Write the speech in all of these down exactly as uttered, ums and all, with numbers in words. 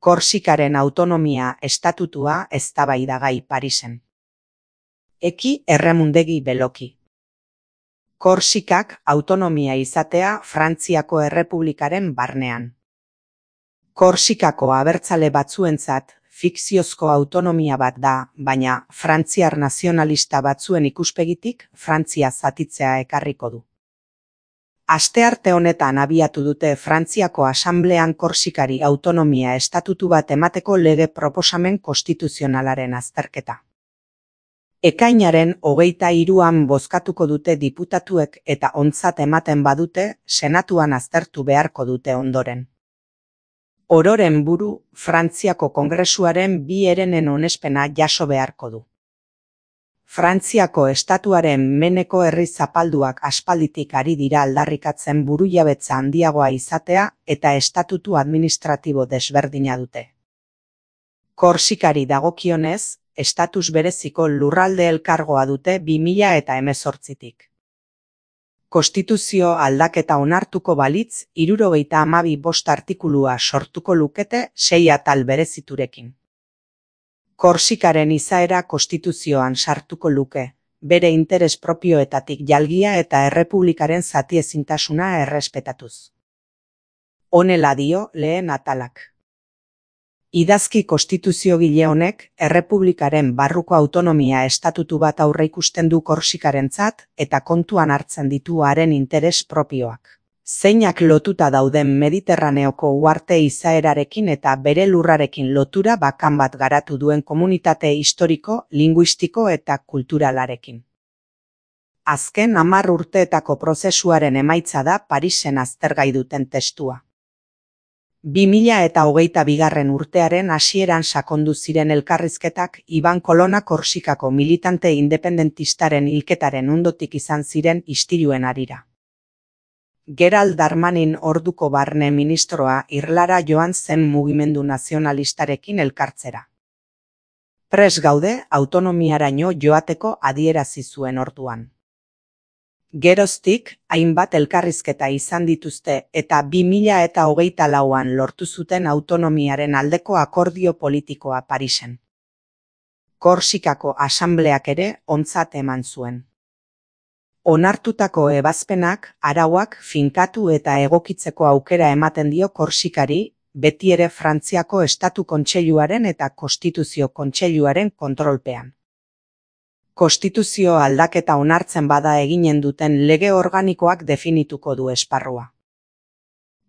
Korsikaren autonomia estatutua eztabaidagai Parisen. Eki erremundegi beloki. Korsikak autonomia izatea Frantziako Errepublikaren barnean. Korsikako abertzale batzuentzat fikziozko autonomia bat da, baina frantziar nazionalista batzuen ikuspegitik Frantzia zatitzea ekarriko du. Astearte honetan abiatu dute Frantziako Asamblean Korsikari autonomia estatutu bat emateko lege proposamen konstituzionalaren azterketa. Ekainaren hogeita hiruan bozkatuko dute diputatuek eta ontzat ematen badute, senatuan aztertu beharko dute ondoren. Ororen buru, Frantziako Kongresuaren bi herenen onespena jaso beharko du. Frantziako estatuaren meneko herri zapalduak aspalditik ari dira aldarrikatzen burujabetza handiagoa izatea eta estatutu administratibo desberdina dute. Korsikari dagokionez, estatus bereziko lurralde elkargoa dute bi mila hemezortzitik. Konstituzio aldaketa onartuko balitz, hirurogeita hamabi bost artikulua sortuko lukete sei atal bereziturekin. Korsikaren izaera konstituzioan sartuko luke, bere interes propioetatik jalgia eta errepublikaren zatiezintasuna errespetatuz. Honela dio lehen atalak. Idazki konstituziogile honek errepublikaren barruko autonomia estatutu bat aurreikusten du Korsikarentzat eta kontuan hartzen ditu haren interes propioak. Zeinak lotuta dauden Mediterraneoko uharte izaerarekin eta bere lurrarekin lotura bakan bat garatu duen komunitate historiko, linguistiko eta kulturalarekin. Azken hamar urteetako prozesuaren emaitza da Parisen aztergai duten testua. bi mila hogeita bigarren urtearen hasieran sakondu ziren elkarrizketak Iban Kolona Korsikako militante independentistaren hilketaren ondotik izan ziren istiluen harira. Gerald Darmanin orduko barne ministroa Irlara joan zen mugimendu nazionalistarekin elkartzera. Prest gaude autonomiaraino joateko adierazi zuen orduan. Geroztik, hainbat elkarrizketa izan dituzte eta bi mila hogeita lauan lortu zuten autonomiaren aldeko akordio politikoa Parisen. Korsikako asambleak ere ontzat eman zuen. Onartutako ebazpenak, arauak finkatu eta egokitzeko aukera ematen dio Korsikari, beti ere Frantziako Estatu Kontseiluaren eta Konstituzio Kontseiluaren kontrolpean. Konstituzio aldaketa onartzen bada eginen duten lege organikoak definituko du esparrua.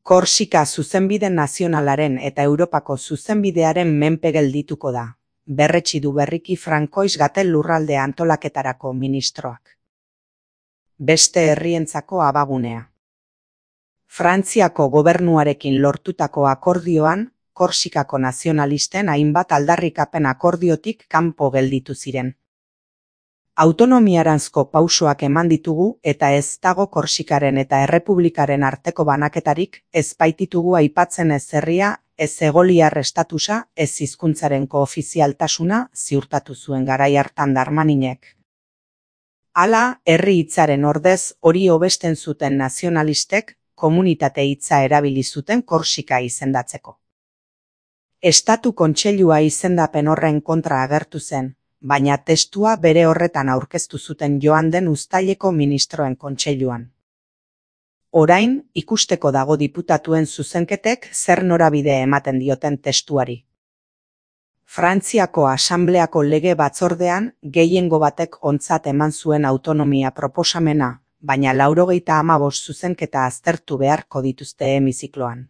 Korsika zuzenbide nazionalaren eta Europako zuzenbidearen menpe geldituko da, berretsi du berriki Frankois Gatel lurralde antolaketarako ministroak. Beste herrientzako abagunea. Frantziako gobernuarekin lortutako akordioan, Korsikako nazionalisten hainbat aldarrikapen akordiotik kanpo gelditu ziren. Autonomiaranzko pausoak eman ditugu eta ez dago Korsikaren eta Errepublikaren arteko banaketarik, ez baititugu aipatzen ez herria, ez egoliar estatusa, ez hizkuntzaren koofizialtasuna ziurtatu zuen garai hartan Darmaninek. Hala, herri hitzaren ordez hori hobesten zuten nazionalistek komunitate hitza erabili zuten Korsika izendatzeko. Estatu Kontseilua izendapen horren kontra agertu zen, baina testua bere horretan aurkeztu zuten joan den uztaileko ministroen kontseiluan. Orain, ikusteko dago diputatuen zuzenketek zer norabide ematen dioten testuari. Frantziako Asambleako lege batzordean gehiengo batek ontzat eman zuen autonomia proposamena, baina laurogeita hamabost zuzenketa aztertu beharko dituzte hemizikloan.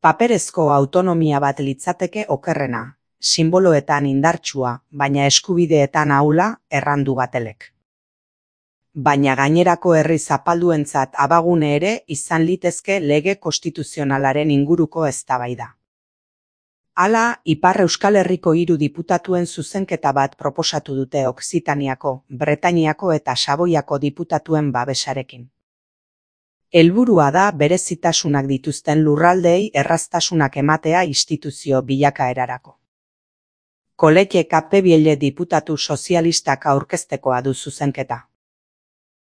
Paperezko autonomia bat litzateke okerrena, sinboloetan indartsua, baina eskubideetan ahula errandu Gatelek. Baina gainerako herri zapalduentzat abagune ere izan litezke lege konstituzionalaren inguruko eztabaida. Hala, Ipar Euskal Herriko hiru diputatuen zuzenketa bat proposatu dute Okzitaniako, Bretainiako eta Saboiako diputatuen babesarekin. Helburua da berezitasunak dituzten lurraldeei erraztasunak ematea instituzio bilakaerarako. Kolete Kapebielle diputatu sozialistak aurkeztekoa du zuzenketa.